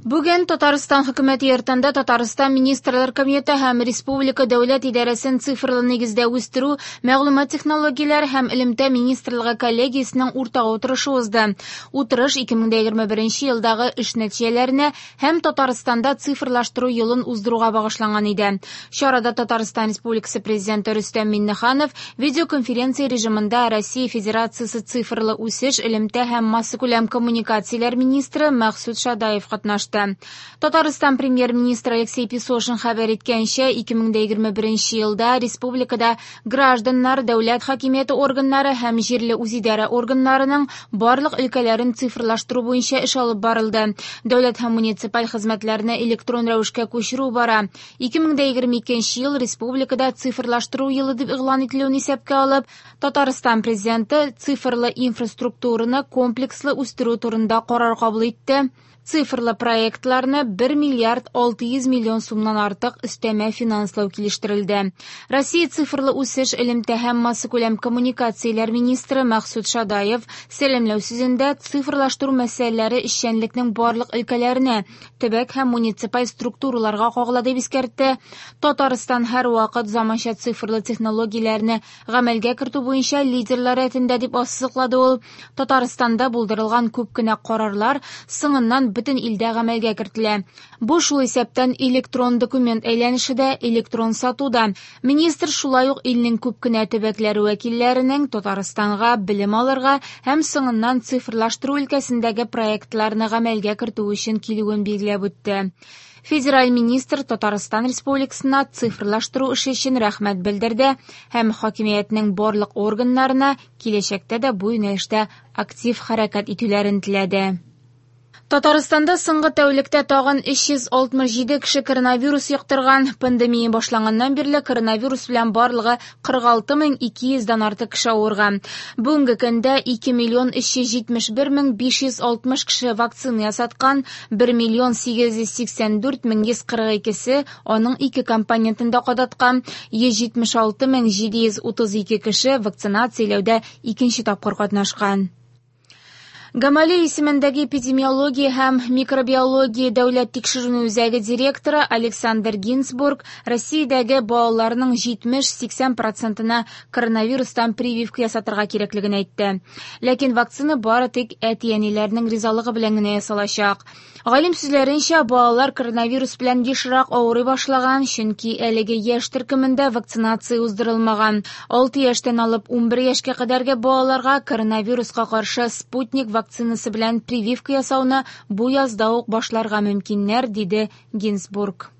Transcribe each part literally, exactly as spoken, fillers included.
Бүген Татарстан Хөкүмәте йортында Татарстан Министрлар Кабинеты һәм Республика дәүләт идарәсен цифрлы нигездә үстерү, мәгълүмат технологияләре һәм элемтә министрлыгы коллегиясенең уртак утырышы узды. Утырыш ике мең егерме беренче елдагы эш нәтиҗәләренә һәм Татарстанда цифрлаштыру елын уздыруга багышланган иде. Чарада Татарстан Республикасы Президенты Рөстәм Миңнеханов видеоконференция режимында Россия Федерациясе цифрлы үсеш, элемтә һәм массакүләм коммуникацияләр министры Мәкъсүт Шадаев катнашты. Татарстан премьер-министры Алексей Песошин хәбәр иткәнчә, ике мең егерме беренче елда республикада гражданнар, дәүләт хакимияте органнары һәм җирле үзидарә органнарының барлык өлкәләрен цифрлаштыру буенча эш алып барылды. Дәүләт һәм муниципаль хезмәтләрне электрон рәвешкә күчерү бара. Ике мең егерме икенче ел республикада цифрлаштыру елы дип игълан ителүен исәпкә алып, Татарстан президенты цифрлы инфраструктураны комплекслы үстерү турында карар кабул итте. Цифрлы проектларны бер миллиард алты йөз миллион сумнан артык өстәмә финанслау килештерелде. Россия цифрлы үсеш, элемтә һәм массакүләм коммуникацияләр министры Мәкъсүт Шадаев сәламләү сүзендә цифрлаштыру мәсьәләләре эшчәнлекнең барлык өлкәләренә, төбәк һәм муниципаль структураларга кагыла дип искәртте. Татарстан һәрвакыт заманча цифрлы технологияләрне гамәлгә кертү буенча лидерлар рәтендә дип ассызыклады ул. Татарстанда булдырылган күп кенә карарлар соңыннан бөтен илдә гамәлгә кертелә. Бу шул исәптән электрон документ әйләнеше дә, электрон сату да. Министр шулай ук илнең күп кенә төбәкләре вәкилләренең Татарстанга белем алырга һәм соңыннан цифрлаштыру өлкәсендәге проектларны гамәлгә кертү өчен килүен билгеләп үтте. Федераль министр Татарстан Республикасына цифрлаштыру эше өчен рәхмәт белдерде һәм хакимиятнең барлык органнарына киләчәктә дә бу юнәлештә актив хәрәкәт итүләрен теләде. Татарстанда соңгы тәүлектә тагын өч йөз алтмыш җиде кеше коронавирус йоктырган. Пандемия башланганнан бирле коронавирус белән барлыгы кырык алты мең ике йөздән артык кеше авырган. Бүгенге көндә ике миллион өч йөз җитмеш бер мең биш йөз алтмыш кеше вакцина ясаткан, бер миллион сигез йөз сиксән дүрт мең йөз кырык икесе аның ике компонентын да кадаткан, йөз җитмеш алты мең җиде йөз утыз ике кеше вакцинацияләүдә икенче тапкыр катнашкан. Гамалея исемендәге эпидемиология һәм микробиология дәүләт тикшеренү үзәге директоры Александр Гинзбург Россиядәге балаларның җитмеш-сиксән процентына коронавирустан прививка ясатырга кирәклеген әйтте. Ләкин вакцина бары тик әти-әниләрнең ризалыгы белән генә ясалачак. Галим сүзләренчә, балалар коронавирус белән ешрак авырый башлаган, чөнки әлеге яшь төркемендә вакцинация уздырылмаган. Алты яшьтән алып унбер яшькә кадәрге балаларга коронавируска каршы Спутник вакцинасы белән прививка ясауны бу язда ук башларга мөмкиннәр, диде Гинзбург.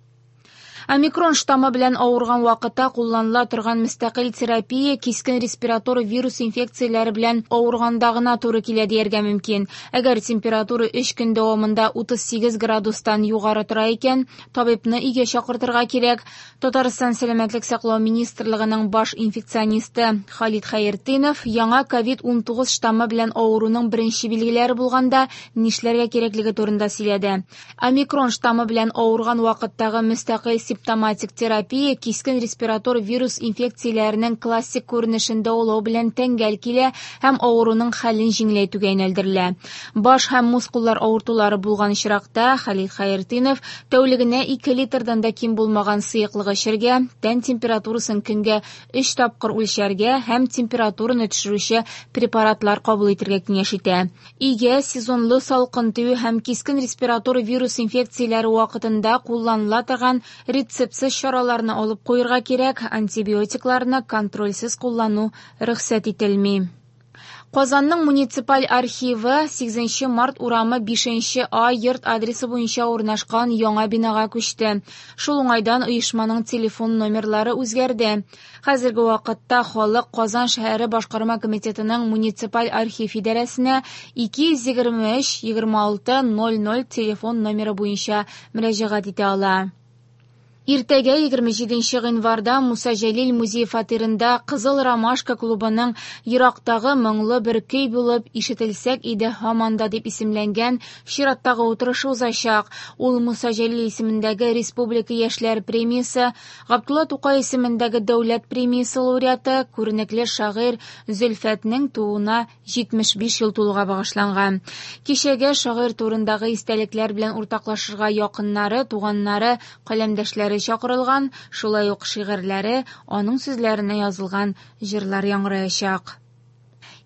Омикрон штаммы белән авырган вакытта кулланыла торган мөстәкыйль терапия кискен респиратор вирус инфекцияләре белән авырганда гына туры килә дияргә мөмкин. Әгәр температура өч көн дәвамында утыз сигез градустан югары тора икән, табибны өйгә чакыртырга кирәк. Татарстан Сәламәтлек саклау министрлыгының баш инфекционисты Халид Хәйретдинов яңа ковид унтугыз штаммы белән авыруның беренче билгеләре булганда нишләргә кирәклеге турында сөйләде. Омикрон штаммы белән авырган вакыттагы мөстәкыйль симптоматик терапия кискен респиратор вирус инфекцияләренең классик күренешен дәвалау белән тәңгәл килә һәм авыруның хәлен җиңеләйтүгә юнәлдерелә. Баш һәм мускуллар авыртулары булган очракта Халид Хәйретдинов тәүлегенә ике литрдан да ким булмаган сыеклык эчәргә, тән температурасын көнгә өч тапкыр үлчәргә һәм температураны төшерүче препаратлар кабул итәргә киңәш итә. Өйгә сезонлы салкын тию һәм кискен респиратор вирус инфекцияләре вакытында кулланыла торган рецептсыз чараларны алып куярга кирәк, антибиотикларны контрольсез куллану рөхсәт ителми. Казанның муниципаль архивы сигезенче март урамы бишенче А йорт адресы буенча урнашкан яңа бинага күчте. Шул уңайдан оешманың телефон номерлары үзгәрде. Хәзерге вакытта халык Казан шәһәре башкарма комитетының муниципаль архив идарәсенә ике йөз егерме өч егерме алты ноль ноль телефон номеры буенча мөрәҗәгать итә ала. Иртәгә егерме җиденче гыйнварда Муса Җәлил музей фатирында Кызыл Ромашка клубының Ерактагы моңлы бер көй булып ишетелсәк иде һаман да дип исемләнгән чираттагы утырышы узачак. Ул Муса Җәлил исемендәге Республика яшьләр премиясе, Габдулла Тукай исемендәге дәүләт премиясе лауреаты, күренекле шагыйрь Зөлфәтнең тууына җитмеш биш ел тулуга багышланган. Кичәгә шагыйрь турындагы истәлекләр белән уртаклашырга якыннары, туганнары, каләмдәшләре чакырылган, шулай ук шигырьләре, аның сүзләренә язылган җырлар яңгыраячак.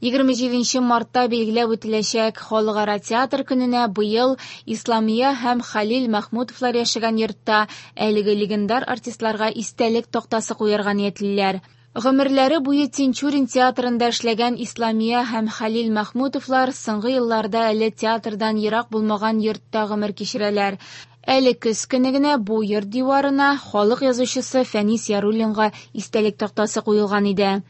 Егерме җиденче мартта билгеләп үтеләчәк Халыкара театр көненә быел Исламия һәм Хәлил Мәхмүтовлар яшәгән йортта әлеге легендар артистларга истәлек тактасы куярга ниятлиләр. Гомерләре буе Тинчурин театрында эшләгән Исламия һәм Хәлил Мәхмүтовлар соңгы елларда әле театрдан ерак булмаган йортта гомер кичерәләр. Әле көз көне генә бу йорт диварына халык язучысы Фәнис Яруллинга истәлек тактасы куелган иде.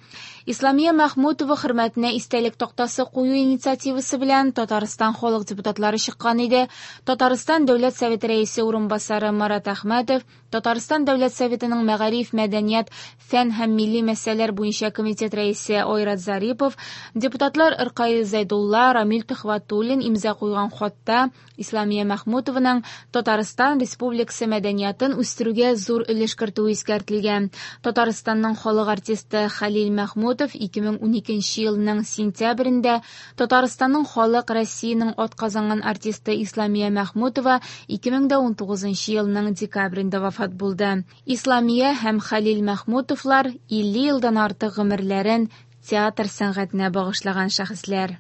Исламия Мәхмүтова хөрмәтенә истәлек тактасы кую инициативасы белән Татарстан халык депутатлары чыккан иде. Татарстан Дәүләт Советы рәисе урынбасары Марат Әхмәтов, Татарстан Дәүләт Советының мәгариф, мәдәният, фән һәм милли мәсьәләләр буенча комитет рәисе Айрат Зарипов, депутатлар Иркаил Зәйдулла, Рамил Төхвәтуллин имза куйган хатта Исламия Мәхмүтованың Татарстан Республикасы мәдәниятын үстерүгә зур өлеш кертүе искәртелгән. Татарстанның халык артисты Хәлил Мәхмүтов ике мең уникенче елның сентябрендә Татарстанның халык Россиянең атказанган артисты Исламия Мәхмүтова ике мең унтугызынчы елның декабрендә вафат булды. Исламия һәм Хәлил Мәхмүтовлар илле елдан артык гомерләрен театр сәнгатенә багышлаган шәхесләр.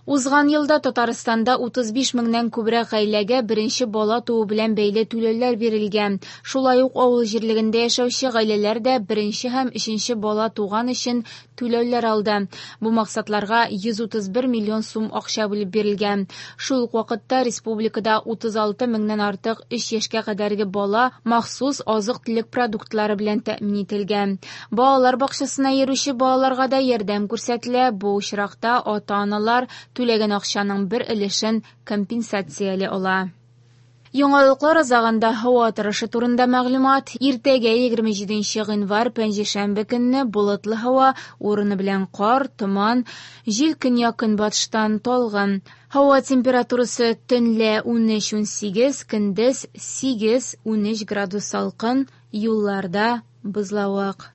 Узган елда Татарстанда утыз биш меңнән күбрәк гаиләгә беренче бала туу белән бәйле түләүләр бирелгән. Шулай ук авыл җирлегендә яшәүче гаиләләр дә беренче һәм өченче бала туган өчен түләүләр алды. Бу максатларга йөз утыз бер миллион сум акча бүлеп бирелгән. Шул ук вакытта республикада утыз алты меңнән артык өч яшькә кадәрге бала махсус азык-төлек продуктлары белән тәэмин ителгән. Балалар бакчасына йөрүче балаларга да ярдәм күрсәтелә. Бу очракта ата-аналар түләгән акчаның бер өлешен компенсацияли ала. Яңалыклар азагында һава торышы турында мәгълүмат. Иртәгә егерме җиденче гыйнвар пәнҗешәмбе көнне болытлы һава, урыны белән кар, томан, җил көньяк-көнбатыштан талгын. Һава температурасы төнлә унөч унсигез, көндез сигез унөч градус салкын, юлларда бозлавык.